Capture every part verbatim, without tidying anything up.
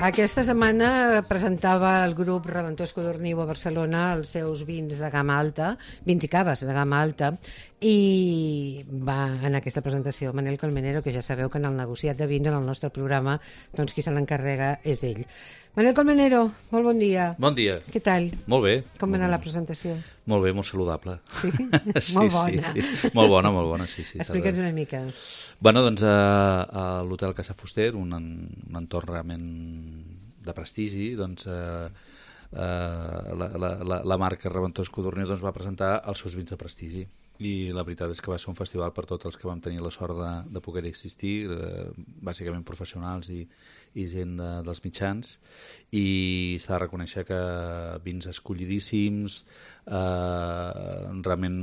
Aquesta setmana presentava el grup Reventós Codorniu a Barcelona els seus vins de gamma alta, vins i caves de gamma alta, i va en aquesta presentació Manel Colmenero, que ja sabeu que en el negociat de vins en el nostre programa, doncs qui se l'encarrega és ell. Manel Colmenero, molt bon dia. Bon dia. Què tal? Molt bé. Com va anar la presentació? Molt bé, molt saludable. Sí? sí molt bona. Sí, sí. Molt bona, molt bona, sí. sí Explica'ns una mica. Bueno, doncs a, a l'Hotel Casa Fuster, un, un entorn realment de prestigi, doncs eh, eh, la, la, la, la marca Reventós Codorniu doncs, va presentar els seus vins de prestigi. I la veritat és que va ser un festival per tots els que vam tenir la sort de, de poder existir, eh, bàsicament professionals i, i gent de, dels mitjans, i s'ha de reconèixer que vins escollidíssims, eh, realment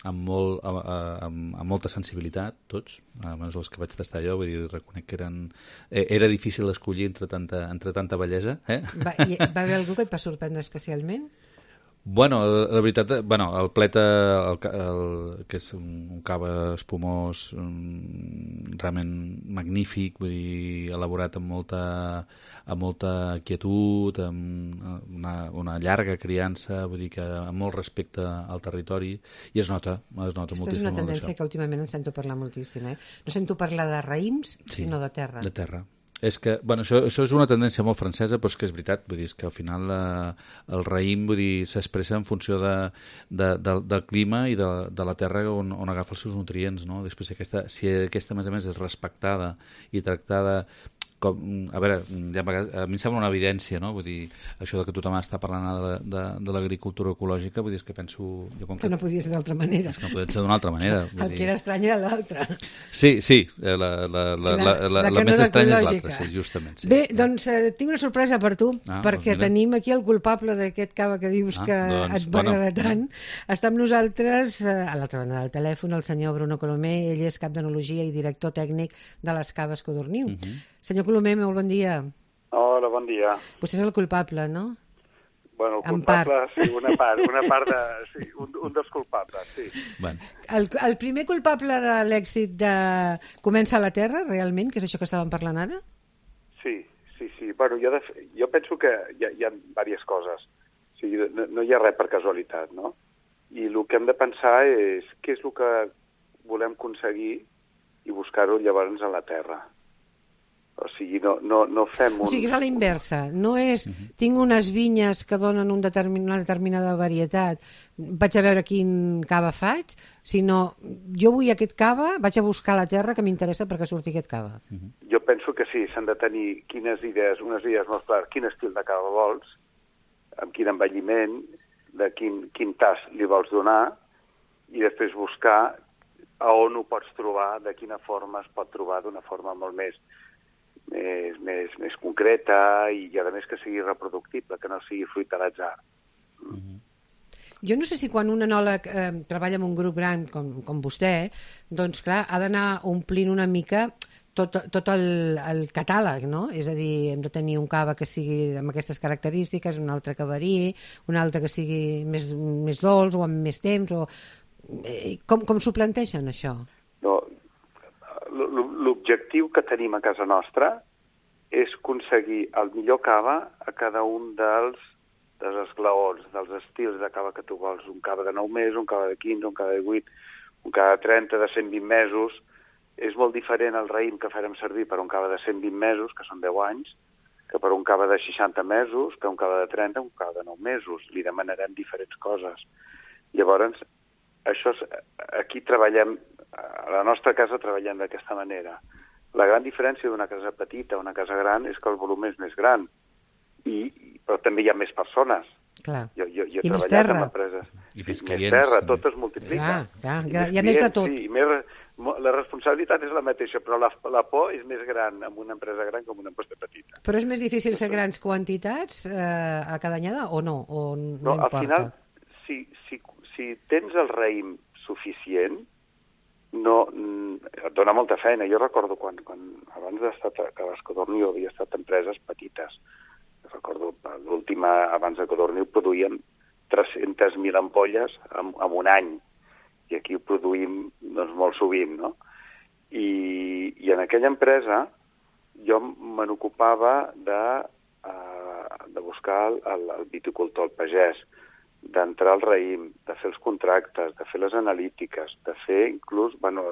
amb, molt, amb, amb molta sensibilitat, tots, almenys els que vaig tastar jo, vull dir, reconec que eren, eh, era difícil escollir entre tanta, entre tanta bellesa. Eh? Va, hi, va haver algú que et va sorprendre especialment? Bueno, la veritat, bueno, el pleta, el, el, que és un, un cava espumós um, realment magnífic, vull dir, elaborat amb molta, amb molta quietud, amb una, una llarga criança, vull dir que amb molt respecte al territori, i es nota, es nota moltíssim. Aquesta és una tendència que últimament en sento parlar moltíssim, eh? No sento parlar de raïms, sí, sinó de terra. De terra. És que, bueno, això, això és una tendència molt francesa, però és que és veritat, vull dir, és que al final eh, el raïm, vull dir, s'expressa en funció de, de, de, del clima i de, de la terra on, on agafa els seus nutrients, no? Després, si aquesta, si aquesta, a més a més, és respectada i tractada com, a veure, ja, a mi em sembla una evidència, no? Vull dir, això de que tothom està parlant de, de, de l'agricultura ecològica, vull dir, és que penso... Jo, com que, que no podia ser d'altra manera. És que no podia ser d'una altra manera. El dir... que era estrany era l'altre. Sí, sí, la, la, la, la, la, la, la, la més no estranya és l'altra, sí, justament. Sí. Bé, doncs eh, tinc una sorpresa per tu, ah, perquè doncs tenim aquí el culpable d'aquest cava que dius ah, que doncs, et va bueno, agradar tant. Està amb nosaltres, eh, a l'altra banda del telèfon, el senyor Bruno Colomer, ell és cap d'enologia i director tècnic de les Caves Codorniu. Uh -huh. Senyor Colomer, molt bon dia. Hola, bon dia. Vostè és el culpable, no? Bueno, el culpable, sí, una part, una part de... Sí, un, un dels culpables, sí. Bueno. El, el primer culpable de l'èxit de Comença a la Terra, realment, que és això que estàvem parlant ara? Sí, sí, sí. Bueno, jo, de, jo penso que hi ha, hi ha diverses coses. O sigui, no, no hi ha res per casualitat, no? I el que hem de pensar és què és el que volem aconseguir i buscar-ho llavors a la Terra. O sigui, no, no, no fem un... O sigui, és a la inversa. No és, uh-huh. tinc unes vinyes que donen un determin, una determinada varietat, vaig a veure quin cava faig, sinó jo vull aquest cava, vaig a buscar la terra que m'interessa perquè surti aquest cava. Uh-huh. Jo penso que sí, s'han de tenir quines idees, unes idees molt clares, quin estil de cava vols, amb quin envelliment, de quin, quin tas li vols donar, i després buscar a on ho pots trobar, de quina forma es pot trobar d'una forma molt més Més, més, més concreta i, a més, que sigui reproductible, que no sigui fruit de l'atzar. Mm. Mm-hmm. Jo no sé si quan un enòleg eh, treballa en un grup gran com, com vostè, doncs, clar, ha d'anar omplint una mica tot, tot el, el catàleg, no? És a dir, hem de tenir un cava que sigui amb aquestes característiques, un altre que variï, un altre que sigui més, més dolç o amb més temps, o... Eh, com, com s'ho plantegen, això? No, l'objectiu que tenim a casa nostra és aconseguir el millor cava a cada un dels, dels esglaons, dels estils de cava que tu vols. Un cava de nou mesos, un cava de quinze, un cava de vuit, un cava de trenta, de cent vint mesos. És molt diferent el raïm que farem servir per un cava de cent vint mesos, que són deu anys, que per un cava de seixanta mesos, que un cava de trenta, un cava de nou mesos. Li demanarem diferents coses. Llavors, això és, aquí treballem, a la nostra casa treballem d'aquesta manera. La gran diferència d'una casa petita a una casa gran és que el volum és més gran, i, però també hi ha més persones. Clar. Jo, jo, jo I he més treballat terra. amb empreses. I més, més terra, tot es multiplica. Clar, clar, I clar. més Hi ha més de tot. Sí, i més, la responsabilitat és la mateixa, però la, la por és més gran amb una empresa gran que amb una empresa petita. Però és més difícil fer grans quantitats eh, a cada anyada o no? O no, no importa? Al final, si, si, si tens el raïm suficient, no, et dona molta feina. Jo recordo quan, quan abans d'estar a Caves Codorniu havia estat empreses petites. Recordo l'última, abans de Codorniu, produïem tres-centes mil ampolles en, en un any. I aquí ho produïm doncs, molt sovint, no? I, i en aquella empresa jo me n'ocupava de, uh, de buscar el, el, el viticultor, el pagès, d'entrar al raïm, de fer els contractes, de fer les analítiques, de fer inclús bueno,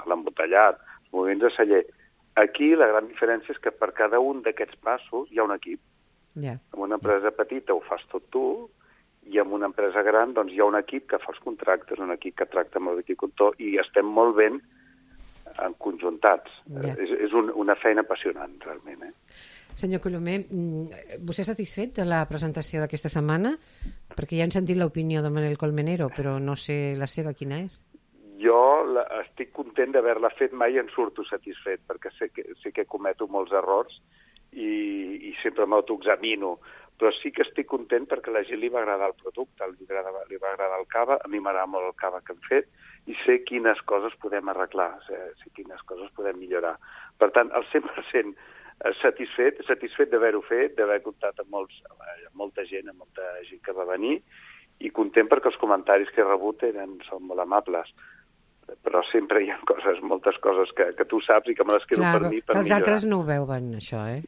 l'embotellat, els moviments de celler. Aquí la gran diferència és que per cada un d'aquests passos hi ha un equip. Yeah. En una empresa petita ho fas tot tu i en una empresa gran doncs, hi ha un equip que fa els contractes, un equip que tracta amb el viticultor i estem molt ben conjuntats. Yeah. És, és un, una feina apassionant, realment. Eh? Senyor Colomer, vostè satisfet de la presentació d'aquesta setmana? Perquè ja hem sentit l'opinió de Manel Colmenero, però no sé la seva quina és. Jo la, estic content d'haver-la fet, mai en surto satisfet, perquè sé que, sé que cometo molts errors i, i sempre m'autoexamino, però sí que estic content perquè a la gent li va agradar el producte, li, agradava, li va agradar el cava, a mi m'agrada molt el cava que hem fet, i sé quines coses podem arreglar, sé, sé quines coses podem millorar. Per tant, el cent per cent satisfet, satisfet d'haver-ho fet, d'haver comptat amb, molts, amb molta gent, amb molta gent que va venir, i content perquè els comentaris que he rebut eren, són molt amables. Però sempre hi ha coses, moltes coses que, que tu saps i que me les quedo Clar, per mi per que els millorar. altres no ho veuen, això, eh?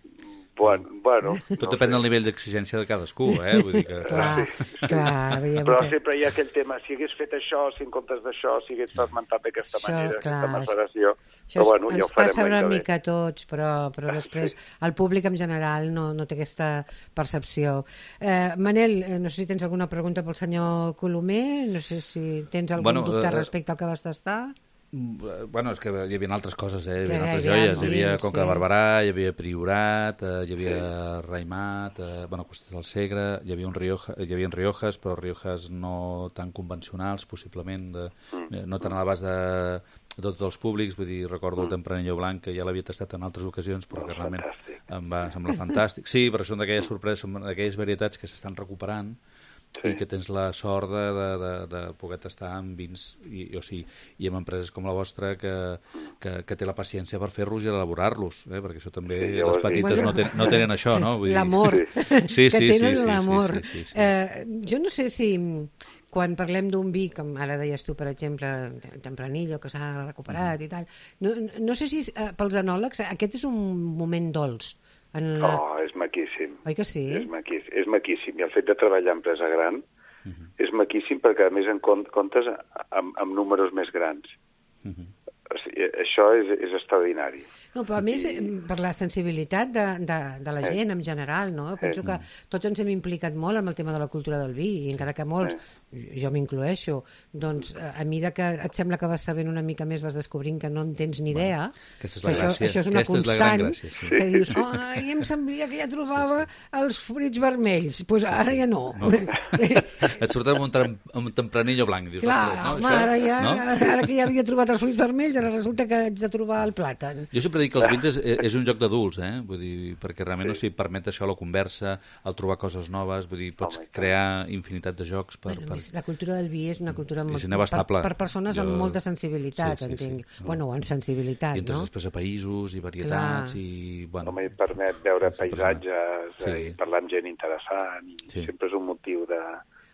Bueno, bueno, Tot no depèn sé. del nivell d'exigència de cadascú, eh? Vull dir que... Clar, Sí, sí. clar. veiem Però que- sempre hi ha aquell tema, si hagués fet això, si en comptes d'això, si hagués fermentat d'aquesta Això, manera, clar, aquesta maceració... Això Però bueno, ja ens ho farem passa l'any una que ve. mica a tots, però, però després el públic en general no, no té aquesta percepció. Eh, Manel, eh, no sé si tens alguna pregunta pel senyor Colomer, no sé si tens algun Bueno, dubte eh, respecte al que vas tastar. Bueno, és que hi havia altres coses, eh? Hi Sí, havia altres hi havia joies. Hi havia vins, Conca de sí. Barberà, hi havia Priorat, eh, hi havia Raimat, eh, bueno, Costes del Segre, hi havia un Rioja, hi havia Riojas, però Riojas no tan convencionals, possiblement, de, eh, no tan a l'abast de, de tots els públics. Vull dir, recordo el Tempranillo Blanc, que ja l'havia tastat en altres ocasions, però que realment Fantàstic. em va semblar fantàstic. Sí, però són d'aquelles sorpreses, són d'aquelles varietats que s'estan recuperant, sí. I que tens la sort de, de, de, de poder tastar amb vins i, o sigui, i amb empreses com la vostra que, que, que té la paciència per fer-los i elaborar-los, eh? Perquè això també Sí, ja ho les has dit. petites Bueno, no, ten, no tenen això, no? Vull dir- L'amor, Sí, que sí, tenen sí, sí, l'amor. sí, sí, sí. Eh, jo no sé si quan parlem d'un vi, com ara deies tu, per exemple, el Tempranillo, que s'ha recuperat i tal, no, no sé si eh, pels enòlegs aquest és un moment dolç. En la... Oh, és maquíssim. Oi que sí? És maquíssim, és maquíssim. I el fet de treballar en empresa gran és maquíssim perquè, a més, en comptes amb, amb números més grans. Mhm. O sigui, això és, és extraordinari. No, però a més, I- eh, per la sensibilitat de, de, de la gent en general, no? Penso que tots ens hem implicat molt amb el tema de la cultura del vi, i encara que molts, jo m'incloeixo, doncs a mesura que et sembla que vas sabent una mica més vas descobrint que no en tens ni idea, aquesta és que la això, gràcia. això és una Aquesta és la gran constant, gràcia, sí. que dius, ai, em semblia que ja trobava els fruits vermells, doncs pues ara ja no. No. Et surt amb un, tram, amb un tempranillo blanc. Dius, Clar, ostres, no, home, això, ara, ja, no? ara que ja havia trobat els fruits vermells, ara resulta que haig de trobar el plàtan. Jo sempre dic que els vins és, és un joc d'adults, eh? Vull dir, perquè realment sí. O sigui, permet això la conversa, el trobar coses noves, vull dir, pots Home, crear infinitat de jocs per... Bueno, per... més, la cultura del vi és una cultura molt, És per, inabastable. per persones Jo- amb molta sensibilitat, Sí, sí, sí. entenc. No. Bueno, amb sensibilitat, I entres no? després a països i varietats Clar. i... Bueno, Home, i permet veure sempre és paisatges Sí. eh, i parlar amb gent interessant, i Sí. sempre és un motiu de...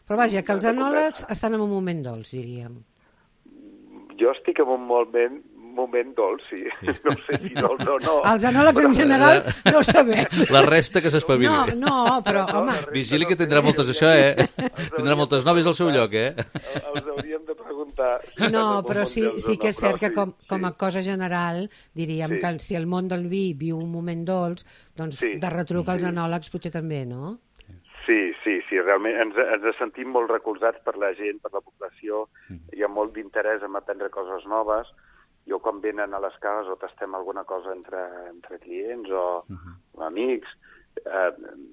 Però vaja, que els de enòlegs conversa. estan en un moment dolç, diríem. Jo estic en un moment, moment dolç, sí. No sé si dolç o no. Els enòlegs en general no ho sabem. la resta que s'espavili. No, no, però, No, home, la resta Vigili no que sé, tindrà moltes els això, eh? hauríem- els Tindrà hauríem moltes de noves al seu preguntar. lloc, eh? Els hauríem de preguntar. si no, estan en però un sí, moment sí dolç que o és no, cert que però com, sí, com a sí. cosa general diríem Sí. que si el món del vi viu un moment dolç, doncs Sí. de retruc als Sí. enòlegs potser també, no? Sí, sí, sí, realment ens, ens sentim molt recolzats per la gent, per la població, hi ha molt d'interès en aprendre coses noves. Jo quan venen a les cases o tastem alguna cosa entre, entre clients o uh-huh. amics, eh,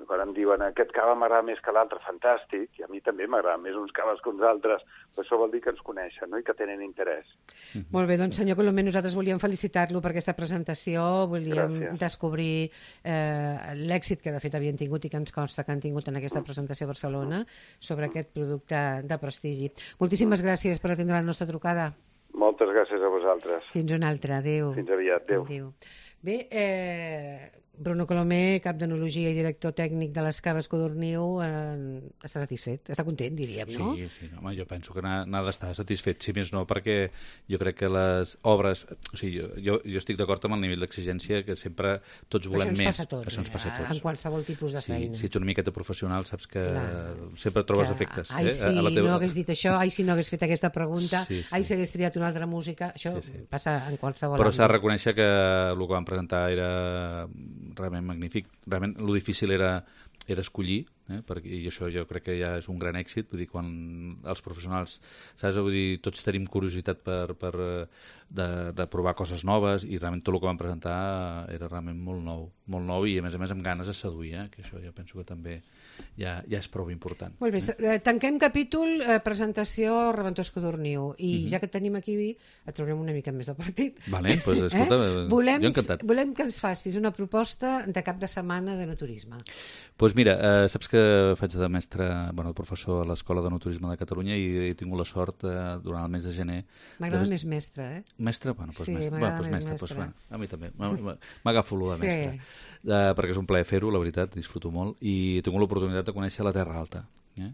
quan em diuen aquest cava m'agrada més que l'altre, fantàstic, i a mi també m'agrada més uns caves que uns altres, però això vol dir que ens coneixen, no?, i que tenen interès. Uh-huh. Molt bé, doncs senyor Colomer, nosaltres volíem felicitar-lo per aquesta presentació, volíem Gràcies. descobrir eh, l'èxit que de fet havien tingut i que ens consta que han tingut en aquesta presentació a Barcelona sobre aquest producte de prestigi. Moltíssimes gràcies per atendre la nostra trucada. Moltes gràcies a vosaltres. Fins una altra, adéu. Fins aviat, adéu. Adéu. Bé, eh, Bruno Colomer, cap d'Enologia i director tècnic de les Caves Codorniu, eh, està satisfet, està content, diríem, no? Sí, sí, home, jo penso que n'ha n'ha d'estar satisfet, si més no, perquè jo crec que les obres... O sigui, jo, jo, jo estic d'acord amb el nivell d'exigència, que sempre tots volem això ens més. Passa a tots, això ens passa a tots. En qualsevol tipus de sí, feina. Si ets una miqueta professional, saps que Clar. sempre trobes que, efectes. Ai, eh? sí, a la teva... no hagués dit això, ai, si no hagués fet aquesta pregunta, sí, sí. ai, si hagués triat una altra música, això sí, sí. passa en qualsevol Però s'ha de àmbit. reconèixer que el que van presentar era realment magnífic. Realment, lo difícil era, era escollir, eh? Perquè, i això jo crec que ja és un gran èxit. Vull dir, quan els professionals, saps? Vull dir, tots tenim curiositat per, per de, de provar coses noves, i realment tot el que van presentar era realment molt nou, molt nou i a més a més amb ganes de seduir, eh? Que això jo penso que també ja, ja és prou important. Molt bé, eh? Tanquem capítol, eh, presentació Reventós Codorniu, i mm-hmm. ja que et tenim aquí, et traurem una mica més de partit. Vale, pues, escolta, eh? volem, jo encantat. Volem que ens facis una proposta de cap de setmana de no turisme. Doncs pues mira, eh, saps que faig de mestre, bueno, de professor a l'Escola de No Turisme de Catalunya, i he tingut la sort eh, durant el mes de gener... M'agrada de... més mestre, eh? Mestre? Bueno, doncs sí, mestre. m'agrada Bueno, pues més mestre, mestre. Pues, bueno, a mi també. M'agafo lo de sí. mestre. Eh, perquè és un plaer fer-ho, la veritat, disfruto molt, i he tingut l'oportunitat de conèixer la Terra Alta. Eh?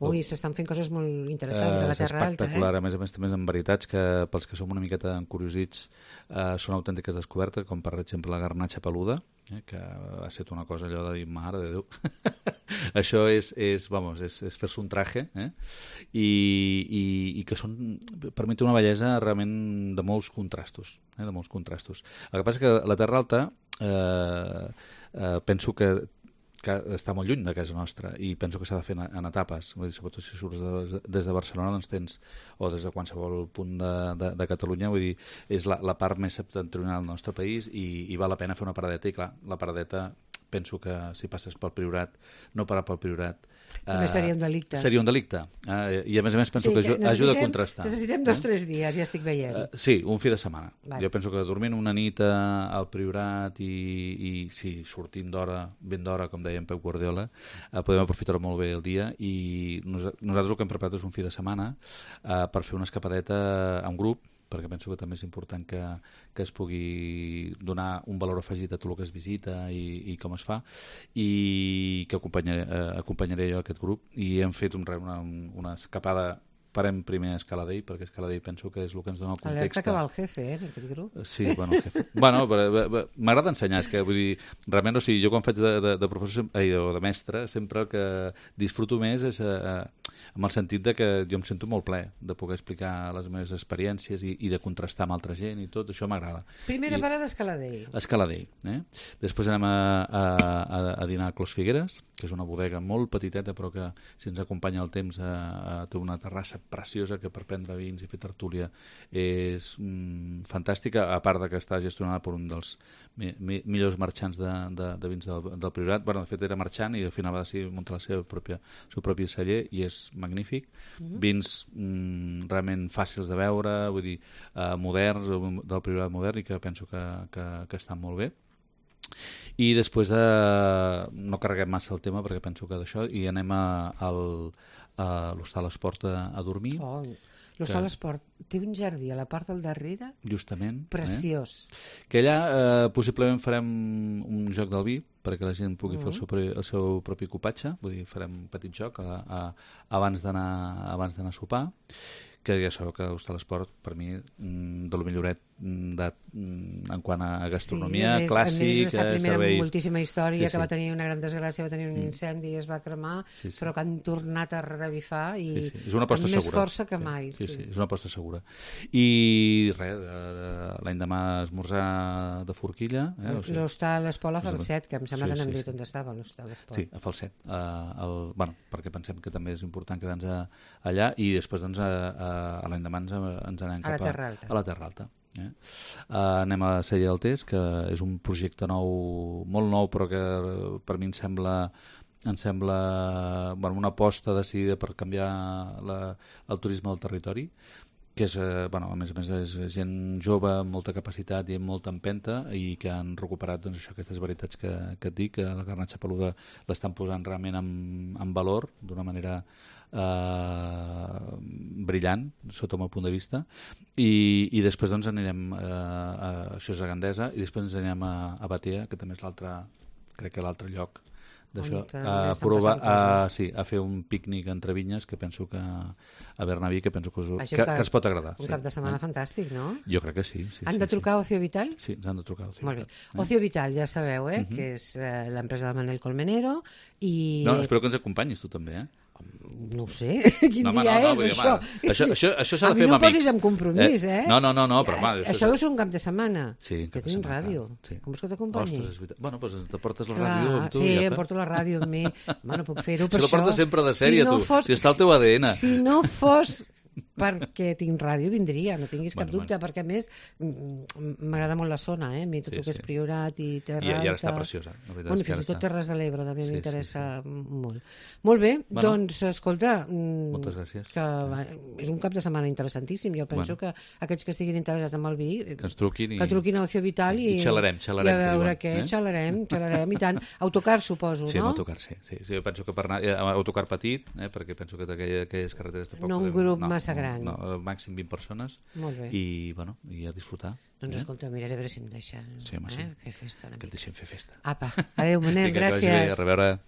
Ui, s'estan fent coses molt interessants eh, a la Terra Alta. És espectacular, eh? a més a més també en veritats que pels que som una miqueta encuriosits eh, són autèntiques descobertes, com per exemple la garnatxa peluda, eh? que ha estat una cosa allò de dir, mare de Déu. Això és, és, vamos, és, és fer-se un traje, eh? I, i, i que són, per mi té una bellesa realment de molts contrastos, eh? de molts contrastos. El que passa que la Terra Alta eh, eh, penso que que està molt lluny de casa nostra, i penso que s'ha de fer en, en etapes. Vull dir, sobretot si surts de, des de Barcelona, doncs tens, o des de qualsevol punt de, de, de Catalunya, vull dir, és la, la part més septentrional del nostre país, i, i val la pena fer una paradeta, i clar, la paradeta penso que si passes pel Priorat, no parar pel Priorat, també eh, seria un delicte. Seria un delicte. Eh, I a més a més penso sí, que, que ajuda a contrastar. Necessitem dos o eh? tres dies, ja estic veient. Uh, sí, un fi de setmana. Vale. Jo penso que dormint una nit al Priorat i, i sí, sortint d'hora, ben d'hora, com deia en Pep Guardiola, uh, podem aprofitar molt bé el dia, i nos, nosaltres el que hem preparat és un fi de setmana uh, per fer una escapadeta a un grup, perquè penso que també és important que, que es pugui donar un valor afegit a tot el que es visita i, i com es fa, i que acompanyaré, eh, acompanyaré jo a aquest grup, i hem fet un, una, una escapada. Farem primer Escaladell, perquè Escaladell penso que és el que ens dona el context. Alerta que va el jefe, eh, en aquest grup. Sí, bueno, el jefe. bueno, m'agrada ensenyar, és que vull dir, realment, o sigui, jo quan faig de, de, de professor ai, o de mestre, sempre el que disfruto més és eh, amb el sentit de que jo em sento molt ple de poder explicar les meves experiències i, i de contrastar amb altra gent i tot, això m'agrada. Primera I, parada Escaladell. Escaladell, eh? Després anem a, a, a, a dinar a Clos Figueres, que és una bodega molt petiteta, però que si ens acompanya el temps a, a, té una terrassa preciosa que per prendre vins i fer tertúlia és mm, fantàstica, a part de que està gestionada per un dels mi, mi, millors marxants de, de, de vins del, del Priorat. Bueno, de fet era marxant i al final va decidir muntar la seva pròpia, el seu propi celler, i és magnífic. Mm-hmm. Vins mm, realment fàcils de veure, vull dir, eh, moderns, del Priorat modern, i que penso que, que, que estan molt bé. I després eh, no carreguem massa el tema perquè penso que d'això, i anem a, al, a l'Hostal Esport a, a dormir. Oh, l'Hostal que... Esport té un jardí a la part del darrere justament, preciós. Eh? Que allà eh, possiblement farem un joc del vi perquè la gent pugui uh-huh. fer el seu, el seu propi copatge, vull dir, farem un petit joc a, a, abans d'anar abans d'anar a sopar, que ja sabeu que l'Hostal Esport per mi de lo milloret de, en quant a gastronomia, sí, a més, clàssic, a més, servei... servei... amb moltíssima història, sí, sí. que va tenir una gran desgràcia, va tenir un incendi i es va cremar, sí, sí. però que han tornat a revifar i sí, sí. És una aposta amb més segura. força que sí, mai. Sí, sí. sí, és una aposta segura. I res, l'any demà esmorzar de forquilla. Eh? O sigui, l'Hostal Esport a Falset, que em sembla sí, que n'hem sí, dit sí. on estava l'Hostal Esport. Sí, a Falset. Uh, el, bueno, perquè pensem que també és important quedar-nos allà, i després doncs, a, a, a l'any demà ens, ens anem cap a, a, a la Terra Alta. Eh? Uh, anem a Sella del Tes, que és un projecte nou, molt nou, però que per mi em sembla em sembla bueno, una aposta decidida per canviar la, el turisme del territori, que és, eh, bueno, a més a més és gent jove amb molta capacitat i amb molta empenta i que han recuperat doncs, això, aquestes varietats que, que et dic, que la garnatxa peluda l'estan posant realment en, en valor d'una manera eh, brillant sota el meu punt de vista i, i després doncs anirem eh, a, això és a Gandesa i després ens anirem a, a Batea, que també és l'altre, crec que l'altre lloc d'això, a provar a, sí, a fer un pícnic entre vinyes que penso que a Bernaví que penso que, us, que, que, que es pot agradar. Un sí. cap de setmana eh? fantàstic, no? Jo crec que sí. sí han sí, de trucar sí. a Ocio Vital? Sí, ens han de trucar a Ocio Molt Vital. bé. Eh? Ocio Vital, ja sabeu, eh? Uh -huh. que és eh, l'empresa de Manel Colmenero i... No, espero que ens acompanyis tu també, eh? No ho sé, quin no, dia no, no, és, dir, això? Home, això? Això, això s'ha de fer amb amics. A mi no amb amics. posis en compromís, eh? No, no, no, no però... Home, això això és un cap de setmana. Sí, que tinc ràdio. Sí. Com vols que t'acompanyi? Ostres, és veritat. Bueno, doncs te portes la Clar, ràdio amb tu. sí, ja em porto la ràdio amb mi. Home, no puc fer-ho per si això. Si la portes sempre de sèrie, si no tu. Fos, si està al teu A D N. Si no fos perquè tinc ràdio vindria, no tinguis cap bueno, dubte, bueno. perquè a més m'agrada molt la zona, eh? A mi tot el sí, que és sí. Priorat i Terra I, Alta... I ara està preciosa. Bueno, fins i tot Terres de l'Ebre també sí, m'interessa sí, sí. molt. Molt bé, bueno, doncs, escolta... Moltes gràcies. Que és un cap de setmana interessantíssim. Jo penso bueno. que aquells que estiguin interessats en el vi... Que ens truquin i... Que truquin a Ocio Vital i... I xalarem, xalarem. I a veure què, eh? xalarem, xalarem, i tant. Autocar, suposo, sí, no? Sí, autocar, sí. sí. sí jo penso que per anar... Autocar petit, eh? perquè penso que aquelles carreteres tampoc... No un podem... grup no, massa gran. No, no, màxim vint persones. Molt bé. I, bueno, i a disfrutar. Doncs eh? escolta, miraré a veure si em deixen sí, home, sí. eh? fer festa. Que et deixin fer festa. Apa, adéu, Manel, gràcies. Que vagi bé, a reveure.